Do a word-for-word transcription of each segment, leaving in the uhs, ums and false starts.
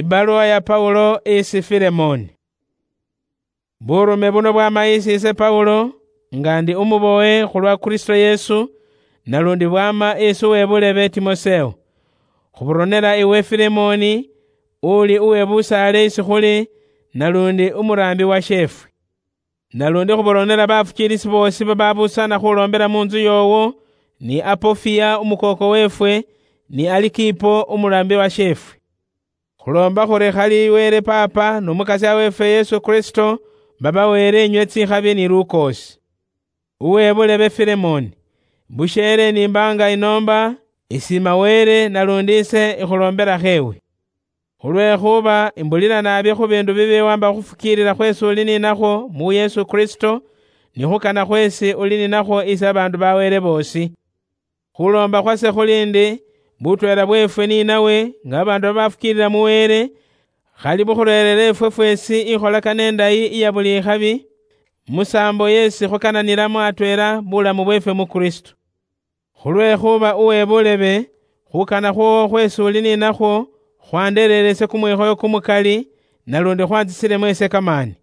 Ibaluwa ya Paulo isi Filemoni. Burume buno bwama isi ise Paulo, nga ndi umubowe khulwa Kristo Yesu, nalundi bwama isi uwebulebe Timoseo. Khuburonera iwe Filemoni, uli uwebusaale isi khuli, nalundi umuraambi wa sheefwe. Nalundi khuboronera bafukiilisi boosi bababusana khuloombera mu ntsu yoowo, ni Apofia umukooko weefwe, ni Alikipo umuraambi wa sheefwe. Khuloomba khuri khali Wele Paapa n'Omukasya weefwe Yesu Kristo babaweere inywe tsikhabi ni lukoosi. Uwe bulebe Filemoni, busheele nimbaanga inoomba, isiima Wele nalundi ise ikhulomberakho ewe. Khulwekhuba imbulira naabi khu biindu bibi wamba khufukiilila khweesi uli ninakhwo mu Yesu Kristo, ni khukana khweesi uli ninakhwo isi abaandu ba Wele boosi. Khuloomba khwase khuli ndi, butweela bweefwe ni nawe, nga babaandu babafukiilila mu Wele, khali bukhureerere ifwe fweesi ikholakana indayi iya buli ikhabi, musaambo yeesi khukananilamo atweela bulamu bweefwe mu Kristo. Khulwekhuba uwe bulebe, khukana khwoowo khweesi uli ninakhwo, khwandereerese kumwikhoyo kumukali, nalundi khwantsisilemo ise kamaani,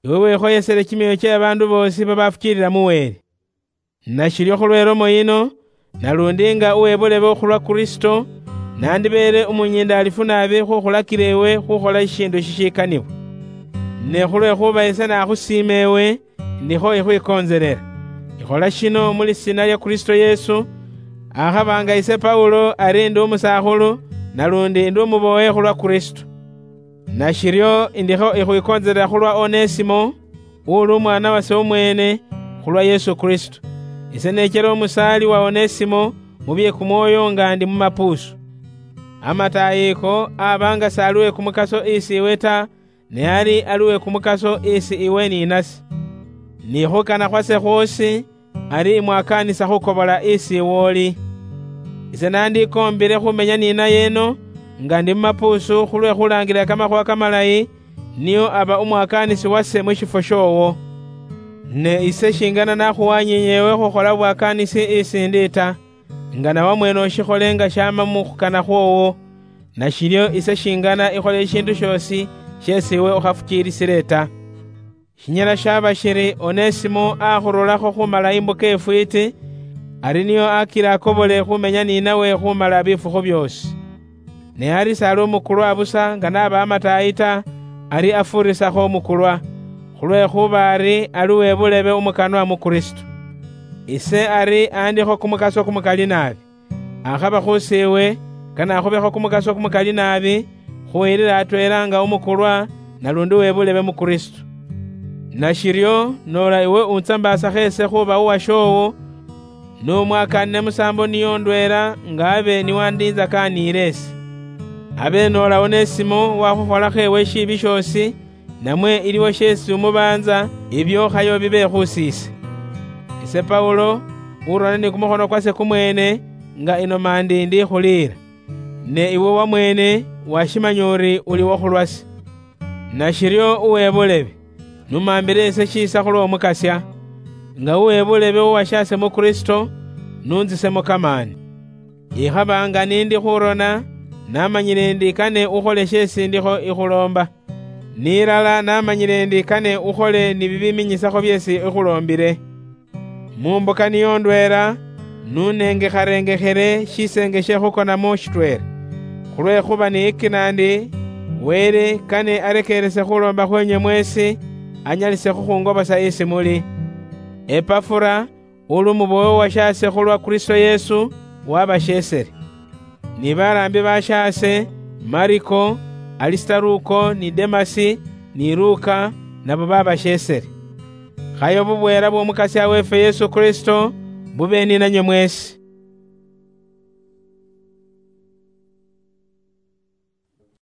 iwe wikhoyesele kimyoyo kye babaandu boosi babafukiilila mu Wele. Nashiryo khulwe lomo yino, nalundi nga uwe bulebe okhulwa Kristo, nandibeele umunyiindaalifu naabi khukhulakila ewe khukhola shishiindu shishikanibwa. Ne khulwekhuba ise nakhusiima ewe, ndikho ikhwikontselela. Ikhola shino mu lisiina lya Kristo Yesu, akhaba nga ise Paulo ari ndi umusakhulu, nalundi ndi umubowe khulwa Kristo. Nashiryo indikho ikhwikontselela khulwa Onesimo, uli umwaana wase umweene, khulwa Yesu Kristo. Ise neechela omusaali wa Onesimo mu bye kumwoyo nga ndi mu mapuusu. Amataayi ako aba nga s'ali we kumukaso isi iwe ta, ne ali ali we kumukaso isi iwe ni nase. Ni khukana khwase khwoosi, ari imwakaanisa khukobola isi iwe oli. Ise nandikoombile khumenya ni naye eno, nga ndi mu mapuusu khulwe khulaangilila kamakhuuwa kamalayi, niyo aba umwakaanisi wase mu shifwo shoowo. Ne ise shingana nakhuwanyiinye ewe khukhola bwakaanisi isi ndi ta, nga nawe mwene ushikhole nga shaama mu khukana khwoowo, nashiryo ise shingana ikhole ishiindu shoosi sheesi iwe ukhafukiilisile ta. Shinyala shaba shiri Onesimo akhurulakho khumala imbuka ifwiiti, ari niyo akila akobole khumenya ni nawe khumala bifukhu byoosi. Ne ari s'ali umukulwa busa nga naba amataayi ta, ari afuurisakho umukulwa, khulwekhuba ari ali uwe bulebe umukanwa mu Kristo. Ise ari andikho kumukaso kumukali naabi. Akhaba khusiiwe, kanakhubekho kumukaso kumukali naabi, khuyilila atweela nga umukulwa, nalundi uwe bulebe mu Kristo. Nashiryo, noola iwe untsambaasakho ese khuba uwashoowo, n'umwakaanine musaambo niyo ndweela nga abe niwandiinzakaaniile ese. Abe noola Onesimo wakhukholakho ewe shiibi shoosi, namwe iliwo sheesi umubaanza, ibyo khayo bibe khusiise. Ise Paulo, urona ni kumukhono kwase kumweene, nga inoma ndi ndikhuliira. Ne iwe wamweene washimanya uri uli wokhulwase. Nashiryo uwe bulebe, numambile ise shiisa khulw'Omukasya, nga uwe bulebe uwashaase mu Kristo, nuntsisemo kamaani. Ikhaba nga nindi khurona, namanyile ndi kane ukhole sheesi ndikho ikhuloomba. Nilala namanyile ndi kane ukhole ni bibiminyisakho byeesi ikhuloombile. Mu mbuka niyo ndweela, nunengekharengekhele shiseenge she khukonamo shitweela. Khulwekhuba niyikina ndi, Wele kane arekeerese khuloomba khwenywe mweesi, anyalise khukhungobosa isi muli. Epafura, uli umubowe uwashaase khulwa Kristo Yesu, wabasheesele. Ni baraambi bashaase, Mariko, Alisitaruko, ni Demasi, ni Luka, nabo babasheesele. Khayo bubweela bw'Omukasya weefwe Yesu Kristo bube ni nanywe mweesi.